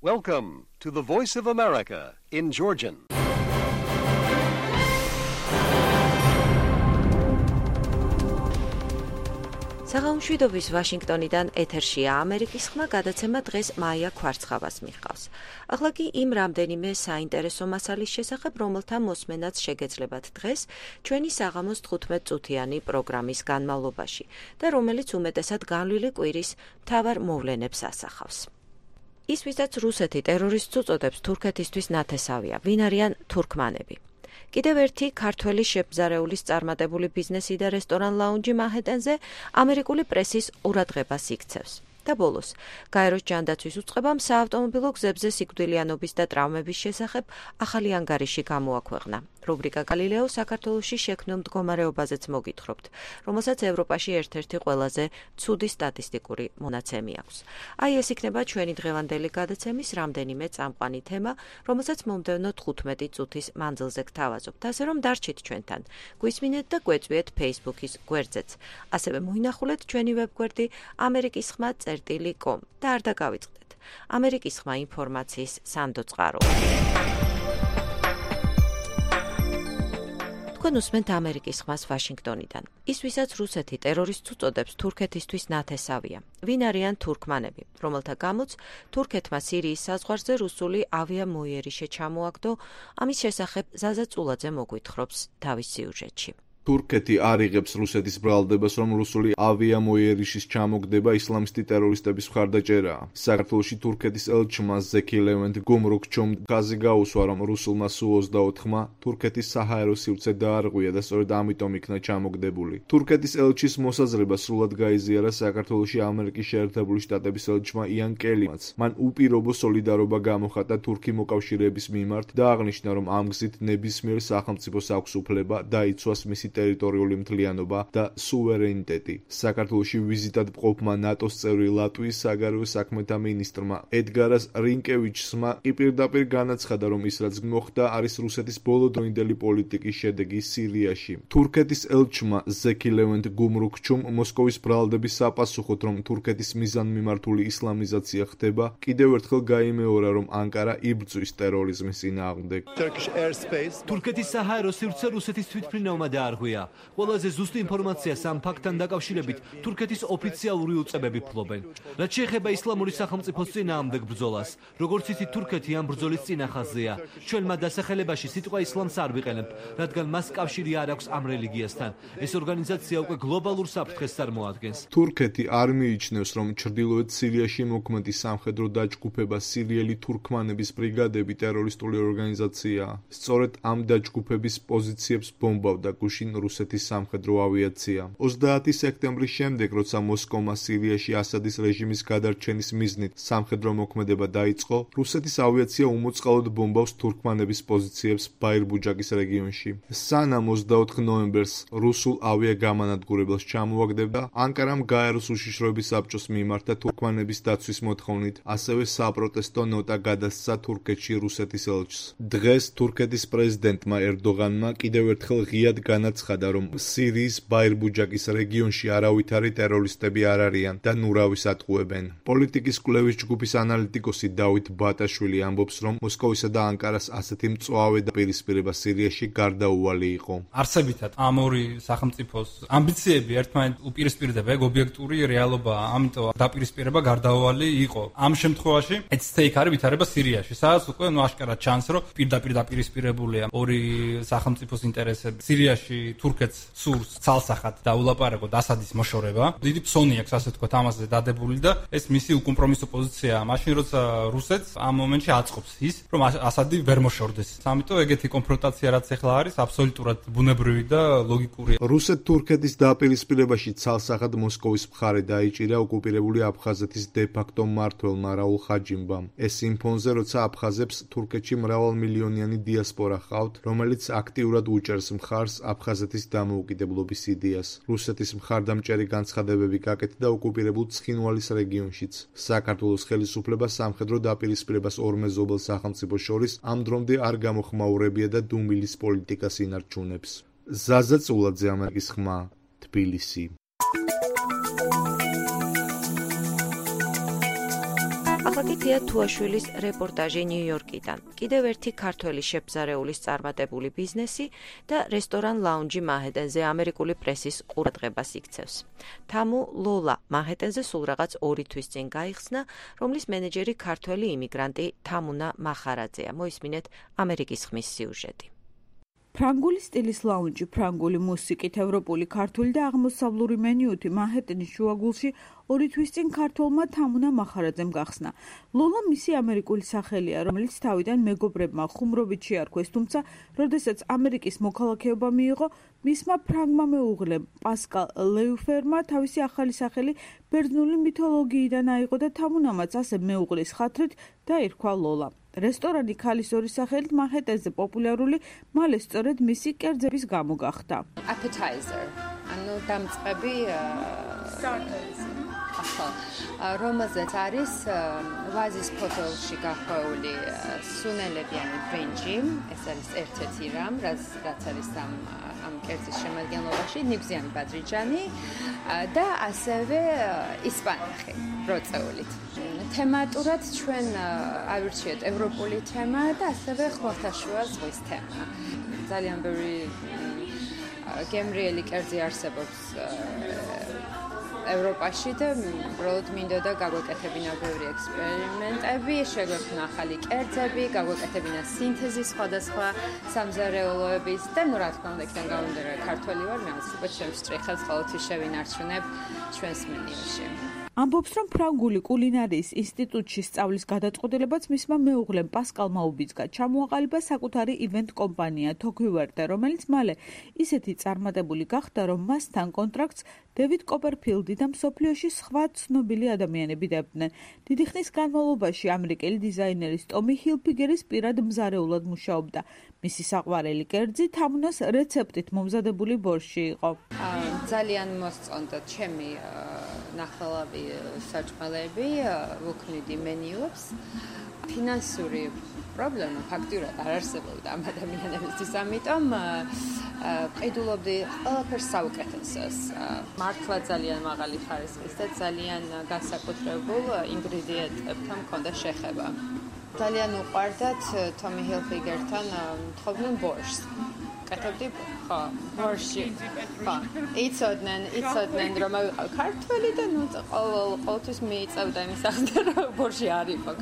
Welcome to the Voice of America in Georgian. საღამოშვიდობის ვაშინგტონიდან ეთერშია ამერიკის ხმა, გადაცემა დღეს მაია ქვარცხავას მიჰყავს. ახლა კი იმ რამდენიმე საინტერესო მასალის შესახებ, რომელთა მოსმენაც შეგეძლებათ დღეს ჩვენი საღამოს 15 წუთიანი პროგრამის განმავლობაში და რომელიც უმეტესად განვლილი კვირის მთავარ მოვლენებს ასახავს. ის, ვისაც რუსეთი ტერორისტს უწოდებს, თურქეთისთვის ნათესავია, ვინ არიან თურქმანები. კიდევ ერთი ქართველი შეფზარეულის წარმატებული ბიზნესი და რესტორან ლაუნჯი მანჰეტენზე ამერიკული პრესის ყურადღებას იქცევს. და ბოლოს, გაეროს ჯანდაცვის უწყებამ საავტომობილო გზებზე სიკვდილიანობის და ტრავმების შესახებ ახალი ანგარიში გამოაქვეყნა. რუბრიკა გალილეო საქართველოში შექმნილ მდგომარეობაზეც მოგითხრობთ, რომელსაც ევროპაში ერთ-ერთი ყველაზე ცუდი სტატისტიკური მონაცემი აქვს. აი ეს იქნება ჩვენი დღევანდელი გადაცემის რამდენიმე წამყვანი თემა, რომელსაც მომდევნო 15 წუთის მანძილზე გთავაზობთ, ასე რომ დარჩით ჩვენთან. გვისმინეთ და გვეწვიეთ Facebook-ის გვერდზეც. ასევე მოინახულეთ ჩვენი ვებგვერდი amerikisxma.com და არ დაგავიწყდეთ. ამერიკის ხმა ინფორმაციის სანდო წყარო. თქვენ უსმენთ ამერიკის ხმას ვაშინგტონიდან. ის, ვისაც რუსეთი ტერორისტს უწოდებს, თურქეთისთვის ნათესავია. ვინ არიან თურქმანები, რომელთა გამოც თურქეთმა სირიის საზღვარზე რუსული ავიამოიერიშე ჩამოაგდო, ამის შესახებ ზაზა წულაძე მოგვითხრობს თავის სიუჟეტში. თურქეთი არ იღებს რუსეთის ბრალდებას, რომ რუსული ავიამოიერიშის ჩამოგდება ისლამისტი ტერორისტების მხარდაჭერაა. საქართველოში თურქეთის ელჩმა ზექი ლევენტ გუმრუქჩომ გაზი გაუსვა, რომ რუსულმა სუ-24-მა თურქეთის საჰაერო სივრცე დაარღვია და სწორედ ამიტომ იქნა ჩამოგდებული. თურქეთის ელჩის მოსაზრება სრულად გაიზიარა საქართველოში ამერიკის შეერთებული შტატების ელჩმა იან კელიმაც. მან უპირობო სოლიდარობა გამოხატა თურქი მოკავშირეების მიმართ და აღნიშნა, რომ ამ გზით ნებისმიერ სახელმწიფოს აქვს უფლება დაიცვას მისი ტერიტორიული მთლიანობა და სუვერენიტეტი. საქართველოში ვიზიტად მყოფმა ნატოს წევრი ლატვიის საგარეო საქმეთა მინისტრმა ედგარას რინკევიჩსმა კი პირდაპირ განაცხადა, რომ ის რაც მოხდა არის რუსეთის ბოლოდროინდელი პოლიტიკის შედეგი სირიაში. თურქეთის ელჩმა ზექი ლევენტ გუმრუქჩუმ მოსკოვის ბრალდების საპასუხოდ, რომ თურქეთის მიზანმიმართული ისლამიზაცია ხდება, კიდევ ერთხელ გაიმეორა, რომ ანკარა იბრძვის ტერორიზმის წინააღმდეგ. თურქეთის საჰაერო სივრცე რუსეთის თვითმფრინავმა დაარღვია. ყველაზე ზუსტი ინფორმაციას ამ ფაქტთან დაკავშირებით თურქეთის ოფიციალური უწყებები ფლობენ. რაც შეეხება ისლამური სახელმწიფოს წინააღმდეგ ბრძოლას, როგორც იცით, თურქეთი ამ ბრძოლის წინახაზია. ჩვენ მათ დასახელებაში სიტყვა ისლამს არ ვიყენებთ, რადგან მას კავშირი არ აქვს ამ რელიგიასთან. ეს ორგანიზაცია უკვე გლობალურ საფრთხეს წარმოადგენს. თურქეთი არ მიიჩნევს, რომ ჩრდილოეთ სირიაში მოქმედი სამხედრო დაჯგუფება სირიელი თურქმანების ბრიგადები ტერორისტული ორგანიზაციაა. სწორედ ამ დაჯგუფების პოზიციებს ბომბავდა გუშინ რუსეთის სამხედრო ავიაცია. 30 სექტემბრის შემდეგ, როცა მოსკოვმა სირიაში ასადის რეჟიმის გადარჩენის მიზნით სამხედრო მოქმედება დაიწყო, რუსეთის ავიაცია უმოწყალოდ ბომბავს თურქმანების პოზიციებს ბაირბუჯაკის რეგიონში. სანამ 24 ნოემბერს რუსულ ავიაგამანადგურებელს ჩამოაგდებდა, ანკარამ გაეროს უშიშროების საბჭოს მიმართა თურქმანების დაცვის მოთხოვნით, ასევე საპროტესტო ნოტა გადასცა თურქეთში რუსეთის ელჩს. დღეს თურქეთის პრეზიდენტმა ერდოღანმა კიდევ ერთხელ ღიად განაცხადა, რომ სირიის ბაირბუჯაკის რეგიონში არავითარი ტერორისტები არ არიან და ნურავის ატყუებენ. პოლიტიკის კვლევის ჯგუფის ანალიტიკოსი დავით ბატაშვილი ამბობს, რომ მოსკოვისა და ანკარას ასეთი მწვავე დაპირისპირება სირიაში გარდაუვალი იყო. არსებითად ამ ორი სახელმწიფოს ამბიციები ერთმანეთს უპირისპირდება, ეგ ობიექტური რეალობაა, ამიტომ დაპირისპირება გარდაუვალი იყო. ამ შემთხვევაში at stake არის ვითარება სირიაში, სადაც უკვე აშკარად ჩანს, რომ პირდაპირ დაპირისპირებულია ორი სახელმწიფოს ინტერესები. სირიაში თურქეთს სურს ცალსახად დაულაპარაკოთ ასადის მოშორება. დიდი ფსონი აქვს, ასე თქვა, ამაზე დადებული და ეს მისი უკომპრომისო პოზიციაა. მაშინ როცა რუსეთს ამ მომენტში აწყობს ის, რომ ასადი ვერ მოშორდეს. ამიტომ ეგეთი კონფრონტაცია რაც ახლა არის, აბსოლუტურად ბუნებრივი და ლოგიკურია. რუსეთ-თურქეთის დაპირისპირებაში ცალსახად მოსკოვის მხარე დაიჭირა ოკუპირებული აფხაზეთის დე-ფაქტო მმართველმა რაულ ხაჯიმბამ. ეს იმ ფონზე, როცა აფხაზებს თურქეთში მრავალმილიონიანი დიასპორა ჰყავთ, რომელიც აქტიურად უჭერს მხარს აფხაზეთის დამოუკიდებლობის იდეას. რუსეთის მხარდამჭერი განცხადებები გაკეთდა ოკუპირებულ ცხინვალის რეგიონშიც. საქართველოს ხელისუფლება სამხედრო დაპირისპირებას ორ მეზობელ სახელმწიფოს შორის ამ დრომდე არ გამოხმაურებია და დუმილის პოლიტიკას ინარჩუნებს. ზაზა წულაძე, ამერიკის ხმა, თბილისი. აქ თეა თუაშვილის რეპორტაჟი ნიუ-იორკიდან. კიდევ ერთი ქართველი შეფზარეულის წარმატებული ბიზნესი და რესტორან ლაუნჯი მანჰეტენზე ამერიკული პრესის ყურადღებას იქცევს. თამუ ლოლა მანჰეტენზე სულ რაღაც 2 თვის წინ გაიხსნა, რომლის მენეჯერი ქართველი იმიგრანტი თამუნა მახარაძეა. მოისმინეთ ამერიკის ხმის სიუჟეტი. ფრანგული სტილის ლაუნჯი, ფრანგული მუსიკით, ევროპული, ქართული და აღმოსავლური მენიუთი მანჰეტენის შუაგულში 2 თვის წინ ქართველმა თამუნა მახარაძემ გახსნა. ლოლა მისი ამერიკული სახელია, რომელიც თავიდან მეგობრებმა ხუმრობით შეარქვეს, თუმცა, როდესაც ამერიკის მოქალაქეობა მიიღო, მისმა ფრანგმა მეუღლემ პასკალ ლეუფერმა თავისი ახალი სახელი ბერძნული მითოლოგიიდან აიღო და თამუნამაც ასე მეუღლის ხათრით დაირქვა ლოლა. რესტორანი ქალის ორი სახელით მანჰეტენზე პოპულარული მალე სწორედ მისი კერძების გამო გახდა. Appetizer, ანუ დამწყები რომელზეც არის ვაზის ფოთოლში გახვეული სუნელებიანი ბრინჯი, ეს არის ერთ-ერთი რამ, რაც არის ამ კერძის შემადგენლობაში, ნიგვზიანი ბადრიჯანი და ასევე ისპანახი როწეულით. თემატურად ჩვენ ავირჩიეთ ევროპული თემა და ასევე ხმელთაშუა ზღვის თემა. ძალიან ბევრი გემრიელი კერძი არსებობს ევროპაში და უბრალოდ მინდოდა გაგვეკეთებინა ბევრი ექსპერიმენტები, შეგვექმნა ახალი კერძები, გაგვეკეთებინა სინთეზი სხვადასხვა სამზარეულოების და რა თქმა უნდა იქიდან გამომდინარე ქართველი ვარ, მე ალბათ შემსწრიხელს ყოველთვის შევინარჩუნებ ჩვენს მენიუში. ამბობს, რომ ფრანგული კულინარიის ინსტიტუტში სწავლის გადაწყვეტილებაც მისმა მეუღლემ პასკალმა უბიძგა. ჩამოაყალიბა საკუთარი ივენტ კომპანია თოქვივერტე, რომელიც მალე ისეთი წარმატებული გახდა, რომ მასთან კონტრაქტს დევიდ კოპერფილდი და მსოფლიოში სხვა ცნობილი ადამიანები დებდნენ. დიდი ხნის განმავლობაში ამერიკელი დიზაინერის ტომი ჰილფიგერის პირად მზარეულად მუშაობდა. მისი საყვარელი კერძი თამუნას რეცეპტით მომზადებული ბორში იყო. ძალიან მოსწონდა ჩემი ნახელავი საჭმელები, ვუქმნიდი მენიუებს. ფინანსური პრობლემა ფაქტურად არ არსებობდა ამ ადამიანებისთვის, ამიტომ ყიდულობდი ყველაფერს საუკეთესოს. მართლა ძალიან მაღალი ხარისხის და ძალიან განსაკუთრებულ ინგრედიენტებთან მქონდა შეხება. ძალიან უყვარდათ თომი ჰილფიგერთან თხოვდნენ ბორშს. კეთებდი ხო, ბორში. ხო, იცოდნენ რომ ქართველი და ნუ ყოველთვის მიიწევდა იმის ახლა რომ ბორში არ იყო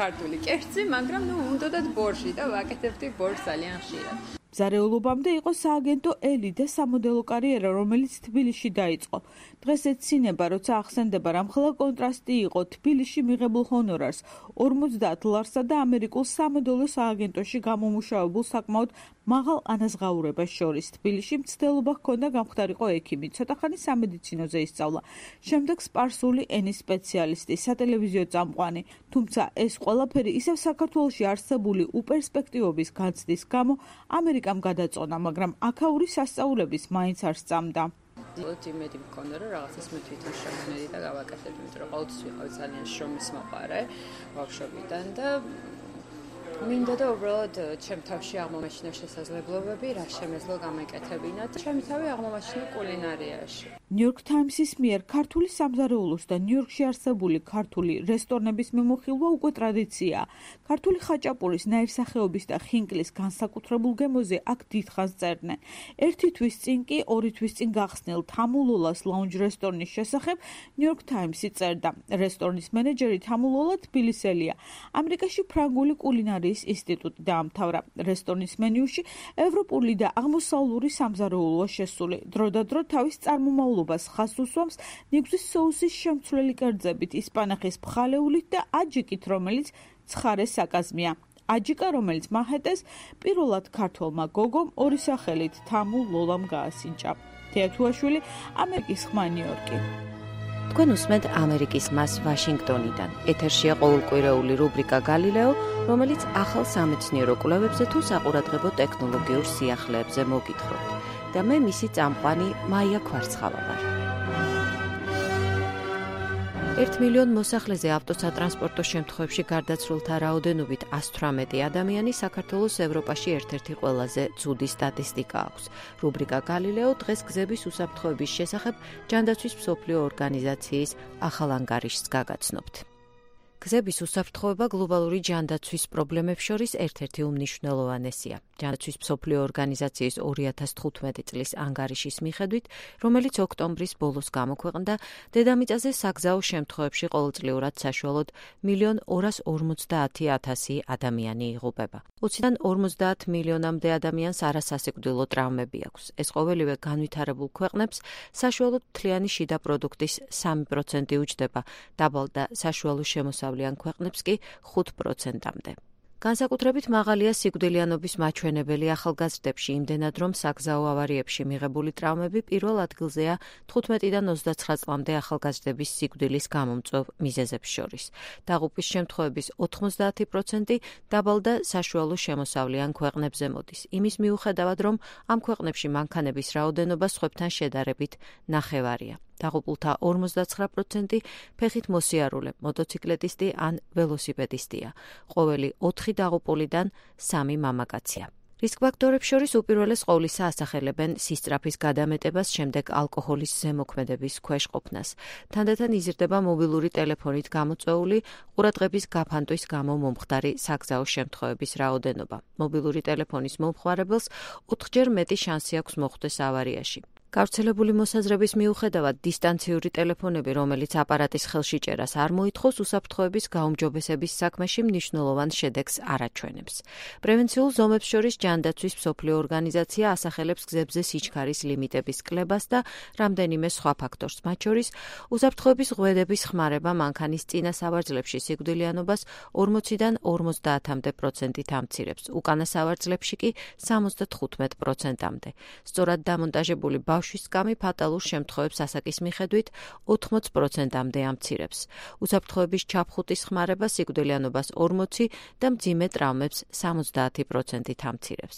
ქართული კერძი, მაგრამ ნუ უნდათ ბორში და ვაკეთებდი ბორს ძალიან ხშირად. მზარეულობამდე იყო სააგენტო ელი და სამოდელო კარიერა, რომელიც თბილისში დაიწყო. დღეს ეცინება, როცა ახსენდება, რამხელა კონტრასტი იყო თბილისში მიღებულ ჰონორარს 50 ლარსა და ამერიკულ სამოდელო სააგენტოში გამომუშავებულ საკმაოდ მაღალ ანაზღაურებას შორის. თბილისში მცდელობა ჰქონდა გამხდარიყო ექიმი, ცოტახანი სამედიცინოზე ისწავლა. შემდეგ სპარსული ენის სპეციალისტი, სატელევიზიო წამყვანი. თუმცა ეს ყველაფერი ისევ საქართველოში არსებული უპერსპექტივობის განცდის გამო ამერიკამ გადაწონა, მაგრამ აქაური სასწაულების მაინც არ სწამდა. იმედი მქონდა, რომ რაღაცას მე თვითონ შევქმნიდი და გავაკეთებდი, იმიტომ რომ ყოველთვის ვიყავი ძალიან შრომის მოყარე ბავშვობიდან და მინდოდა უბრალოდ ჩემ თავში აღმომაჩინა შესაძლებლობები, რა შემეძლო გამეკეთებინა და ჩემი თავი აღმომაჩინა კულინარიაში. ნიუ-იორკ თაიმსის მიერ ქართული სამზარეულოს და ნიუ-იორკში არსებული ქართული რესტორნების მიმოხილვა უკვე ტრადიციაა. ქართული ხაჭაპურის, ნაირსახეობის და ხინკლის განსაკუთრებულ გემოზე აქ დიდხანს წერდნენ. 1 თვის წინ კი 2 თვის წინ გახსნილ თამუ ლოლას ლაუნჯ რესტორნის შესახებ ნიუ-იორკ თაიმსი წერდა. რესტორნის მენეჯერი თამუ ლოლა თბილისელია. ამერიკაში ფრანგული კულინარიის ინსტიტუტი დაამთავრა. რესტორნის მენიუში ევროპული და აღმოსავლური სამზარეულოა შესული. დრო და დრო თავის წარმომავლობას ხაზს უსვამს ნიგვზის соуსის შემცვლელი კერძებით, ისპანახის ფხალეულით და აჯიკით, რომელიც ცხარე საკაზმია. აჯიკა, რომელიც მანჰეტენს პირველად ქართველმა გოგომ ორი სახელით თამუ ლოლამ გაასინჭა. თეა თუაშვილი, ამერიკის ხმა ნიუ-იორკი. თქვენ უსმენთ ამერიკის ხმას ვაშინგტონიდან. ეთერშია ყოველკვირეული რუბრიკა გალილეო, რომელიც ახალ სამეცნიერო კვლევებზე თუ საყურადღებო ტექნოლოგიურ სიახლეებზე მოგითხრობთ. და მე მისი წამყვანი მაია ქვარცხავა ვარ. 1 მილიონ მოსახლეზე ავტოსატრანსპორტო შემთხვევებში გარდაცვლილთა რაოდენობით 118 ადამიანი საქართველოს ევროპაში ერთ-ერთი ყველაზე ცუდი სტატისტიკა აქვს. რუბრიკა გალილეო დღეს გზების უსაფრთხოების შესახებ ჯანდაცვის მსოფლიო ორგანიზაციის ახალ ანგარიშს გაგაცნობთ. გზების უსაფრთხოება გლობალური ჯანდაცვის პრობლემებს შორის ერთ-ერთი უმნიშვნელოვანესია. ჯანდაცვის მსოფლიო ორგანიზაციის 2015 წლის ანგარიშის მიხედვით, რომელიც ოქტომბრის ბოლოს გამოქვეყნდა, დედამიწაზე საგზაო შემთხვევებში ყოველწლიურად საშუალოდ 1.250.000 ადამიანი იღუპება. 20-დან 50 მილიონამდე ადამიანს არასასიკვდილო ტრავმები აქვს. ეს ყოველივე განვითარებულ ქვეყნებს საშუალოდ მთლიანი შიდა პროდუქტის 3% უჯდება, დაბალ და საშუალო შემოსავლიან ქვეყნებს კი 5%-მდე. განსაკუთრებით მაღალია სიკვდილიანობის მაჩვენებელი ახალგაზრდებში, იმდენად რომ საგზაო ავარიებში მიღებული ტრავმები პირველ ადგილზეა 15-დან 29 წლამდე ახალგაზრდების სიკვდილის გამომწვევ მიზეზებს შორის. დაღუპვის შემთხვევების 90% დაბალ და საშუალო შემოსავლიან ქვეყნებზე მოდის. იმის მიუხედავად, რომ ამ ქვეყნებში მანქანების რაოდენობა სხვებთან შედარებით ნახევარია. დაღუპულთა 59% ფეხით მოსიარულე, მოტოციკლეტისტი ან ველოსიპედისტია. ყოველი 4 დაღუპულიდან 3 მამაკაცია. რისკ ფაქტორებს შორის უპირველეს ყოვლისა ასახელებენ სისწრაფის გადამეტებას, შემდეგ ალკოჰოლის ზემოქმედების ქვეშ ყოფნას. თანდათან იზრდება მობილური ტელეფონით გამოწვეული ყურადღების გაფანტვის გამო მომხდარი საგზაო შემთხვევების რაოდენობა. მობილური ტელეფონის მომხმარებელს 4-ჯერ მეტი შანსი აქვს მოხვდეს ავარიაში. გავრცელებული მოსაზრების მიუხედავად, დისტანციური ტელეფონები, რომელიც აპარატის ხელში ჭერას არ მოითხოვს, უსაფრთხოების გაუმჯობესების საქმეში მნიშვნელოვან შედეგს არ აჩვენებს. პრევენციულ ზომებს შორის ჯანდაცვის მსოფლიო ორგანიზაცია ასახელებს გზებზე სიჩქარის ლიმიტების კლებას და რამდენიმე სხვა ფაქტორს, მათ შორის უსაფრთხოების ღვედების ხმარება მანქანის წინა სავარძლებში სიკვდილიანობას 40-დან 50%-მდე ამცირებს, უკანა სავარძლებში კი 75%-მდე. სწორად დამონტაჟებული ბავშვის სკამი ფატალურ შემთხვევებს ასაკის მიხედვით 80%-მდე ამცირებს. უსაფრთხოების ჩაფხუტის ხმარება სიკვდილიანობას 40 და მძიმე ტრავმებს 70%-ით ამცირებს.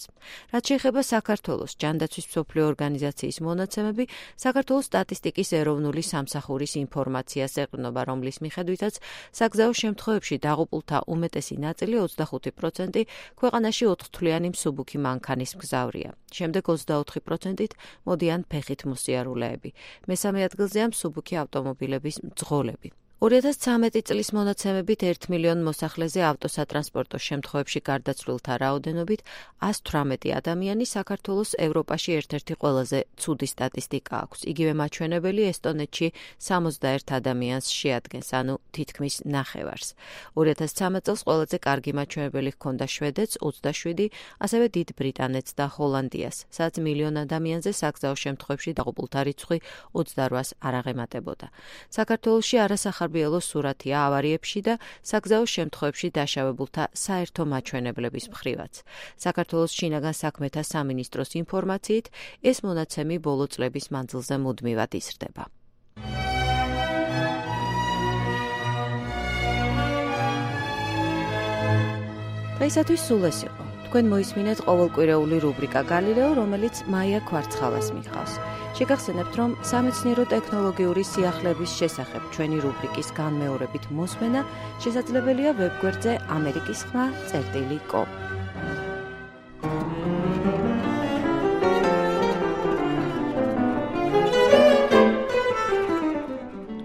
რაც შეეხება საქართველოს, ჯანდაცვის მსოფლიო ორგანიზაციის მონაცემები საქართველოს სტატისტიკის ეროვნული სამსახურის ინფორმაციას ეყრდნობა, რომლის მიხედვითაც საგზაო შემთხვევებში დაღუპულთა უმეტესი ნაწილი 25% ქვეყანაში 4-თვლიანი მსუბუქი მანქანის მგზავრია. შემდეგ 24%-ით მოდიან ფეხით მოსიარულეები. მესამე ადგილზეა მსუბუქი ავტომობილების მძღოლები. 2013 წლის მონაცემებით 1 მილიონ მოსახლეზე ავტოსატრანსპორტო შემთხვევებში გარდაცვლილთა რაოდენობით 118 ადამიანი საქართველოს ევროპაში ერთ-ერთი ყველაზე ცუდი სტატისტიკა აქვს. იგივე მაჩვენებელი ესტონეთში 61 ადამიანს შეადგენს, ანუ თითქმის ნახევარს. 2013 წელს ყველაზე კარგი მაჩვენებელი ჰქონდა შვედეთს 27, ასევე დიდ ბრიტანეთს და ჰოლანდიას, სადაც მილიონ ადამიანზე საგზაო შემთხვევებში დაღუპულთა რიცხვი 28-ს არ აღემატებოდა. საქართველოში არასახარბიელო სურათია ავარიებში და საგზაო შემთხვევებში დაშავებულთა საერთო მაჩვენებლების მხრივაც. საქართველოს შინაგან საქმეთა სამინისტროს ინფორმაციით, ეს მონაცემი ბოლო წლების მანძილზე მუდმივად იზრდება. დღეისათვის სულ ეს იყო. თქვენ მოისმინეთ ყოველკვირეული რუბრიკა გალილეო, რომელიც მაია კვარცხალას მიჰყავს. შეგახსენებთ, რომ სამეცნიერო ტექნოლოგიური სიახლეების შესახებ ჩვენი რუბრიკის განმეორებით მოსმენა შესაძლებელია ვებგვერდზე amerikisxma.com.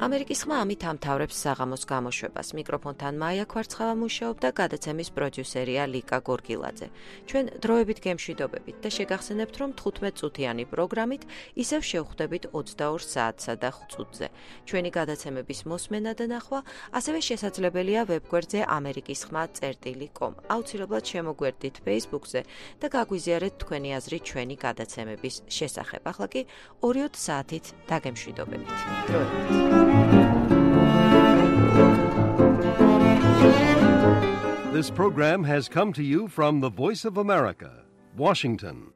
ამერიკის ხმა ამით ამთავრებს საღამოს გამოშვებას. მიკროფონთან მაია კვარცხალა მუშაობდა, გადაცემის პროდიუსერია ლიკა გორგილაძე. ჩვენ დროებით გემშვიდობებით და შეგახსენებთ, რომ 15 წუთიანი პროგრამით ისევ შევხვდებით 22 საათსა და 5 წუთზე. ჩვენი გადაცემების მოსმენა და ნახვა ასევე შესაძლებელია ვებგვერდზე amerikisxma.com. აუცილებლად შემოგვერდით Facebook-ზე და გაგვიზიარეთ თქვენი აზრი ჩვენი გადაცემების შესახებ. ახლა კი 2 საათით დაგემშვიდობებით. დროებით. This program has come to you from the Voice of America, Washington.